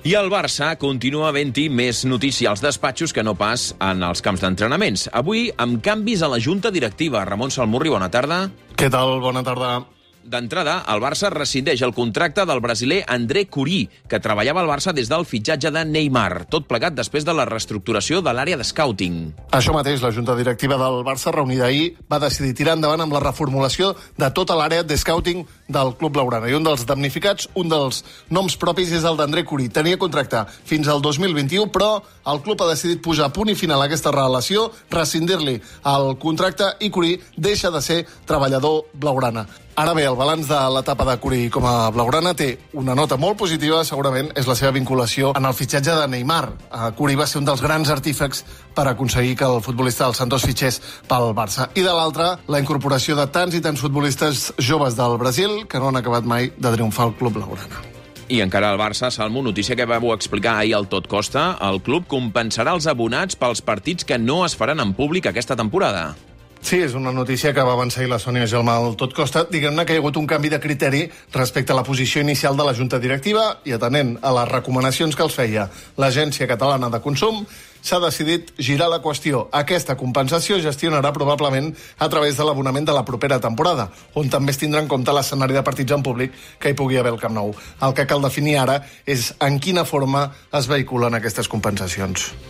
I el Barça continua havent-hi més notícia als despatxos que no pas en els camps d'entrenaments. Avui, amb canvis a la junta directiva. Ramon Salmurri, bona tarda. Què tal? Bona tarda. D'entrada, el Barça rescindeix el contracte del brasiler André Curí, que treballava al Barça des del fitxatge de Neymar, tot plegat després de la reestructuració de l'àrea de scouting. Això mateix, la junta directiva del Barça, reunida ahir, va decidir tirar endavant amb la reformulació de tota l'àrea de scouting del club blaugrana. I un dels damnificats, un dels noms propis, és el d'André Curí. Tenia contracte fins al 2021, però el club ha decidit posar punt i final a aquesta relació, rescindir-li el contracte i Curí deixa de ser treballador blaugrana. Ara bé, el balanç de l'etapa de Curí com a blaugrana té una nota molt positiva, segurament és la seva vinculació en el fitxatge de Neymar. Curí va ser un dels grans artífecs per aconseguir que el futbolista del Santos fitxés pel Barça. I de l'altra, la incorporació de tants i tants futbolistes joves del Brasil que no han acabat mai de triomfar al club blaugrana. I encara el Barça, Salmo, notícia que vau explicar ahir al Tot Costa, el club compensarà els abonats pels partits que no es faran en públic aquesta temporada. Sí, és una notícia que va avançar la Sònia Gelmà al Tot Costa. Diguem-ne que hi ha hagut un canvi de criteri respecte a la posició inicial de la Junta Directiva i atenent a les recomanacions que els feia l'Agència Catalana de Consum, s'ha decidit girar la qüestió. Aquesta compensació es gestionarà probablement a través de l'abonament de la propera temporada, on també es tindrà en compte l'escenari de partits en públic que hi pugui haver al Camp Nou. El que cal definir ara és en quina forma es vehiculen aquestes compensacions.